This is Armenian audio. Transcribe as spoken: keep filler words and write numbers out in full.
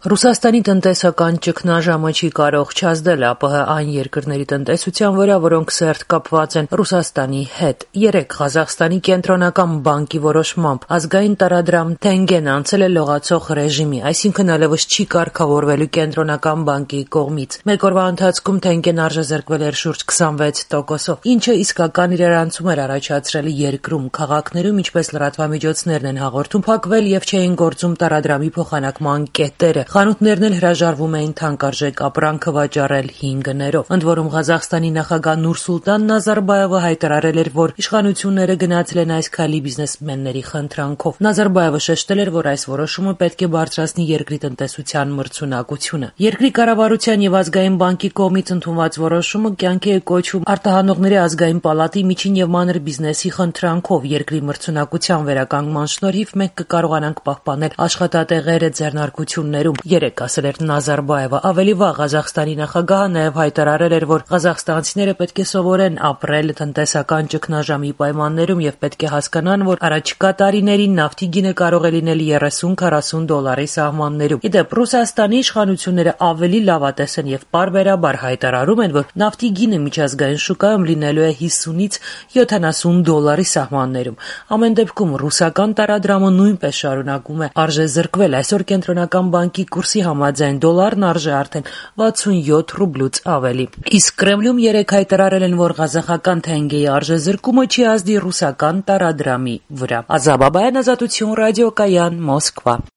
Ռուսաստանի տնտեսական ճգնաժամը չի կարող չազդել ԱՊՀ այն երկրների տնտեսության վրա, որոնք սերտ կապված են Ռուսաստանի հետ։ Երեկ Ղազախստանի կենտրոնական բանկի որոշմամբ ազգային տարադրամ թենգեն անցել է լողացող ռեժիմի, այսինքն այլևս չի կարգավորվելու կենտրոնական բանկի կողմից։ Մեկ օրվա ընթացքում թենգեն արժեզրկվել էր շուրջ քսանվեց տոկոսով, ինչը իսկական իրարանցում էր առաջացրել երկրում, քաղաքներում, ինչպես լրատվամիջոցներն են հաղորդում, փակվել եւ չէին գործում տարադրամի փոխանակման կետերը։ Խանութներն էլ հրաժարվում էին թանկարժեք ապրանքը վաճառել հինգներով։ Ընդ որում Ղազախստանի նախագահ Նուրսուլտան Նազարբաևը հայտարարել էր, որ իշխանությունները գնացել են այս քայլի բիզնեսմենների խնդրանքով։ Նազարբաևը շեշտել էր, որ այս որոշումը պետք է բարձրացնի երկրի տնտեսության մրցունակությունը։ Երկրի կառավարության եւ ազգային բանկի կողմից ընդունված որոշումը կյանքի է կոչվում արտահանողների ազգային պալատի միջին եւ մանր բիզնեսի խնդրանքով։ Երկրի մրցունակության վերականգնման շնորհիվ մենք կկարողանանք պահպանել աշխատատեղերը ձեռնարկություններում, երեկ ասել էր Նազարբաևը։ Ավելի վաղ Ղազախստանի նախագահը նաև հայտարարել էր, որ ղազախստանցիները պետք է սովորեն ապրել տնտեսական ճգնաժամի պայմաններում եւ պետք է հասկանան, որ առաջիկա տարիներին նավթի գինը կարող է լինել երեսուն-քառասուն դոլարի սահմաններում։ Ի դեպ, Ռուսաստանի իշխանությունները ավելի լավատես են եւ պարբերաբար հայտարարում են, որ նավթի գինը միջազգային շուկայում լինելու է հիսունից յոթանասուն դոլարի սահմաններում։ Ամեն դեպքում ռուսական տարադրամը նույնպես շարունակում է արժեզրկվել։ Այսօր կենտրոնական բանկի կուրսի համաձայն դոլարն արժե արդեն վաթսունյոթ ռուբլուց ավելի։ Իսկ Կրեմլում երեկ հայտարարել են, որ ղազախական թենգեի արժեզրկումը չի ազդի ռուսական տարադրամի վրա։ Ազաբաբայան, Ազատություն ռադիոկայան, Մոսկվա։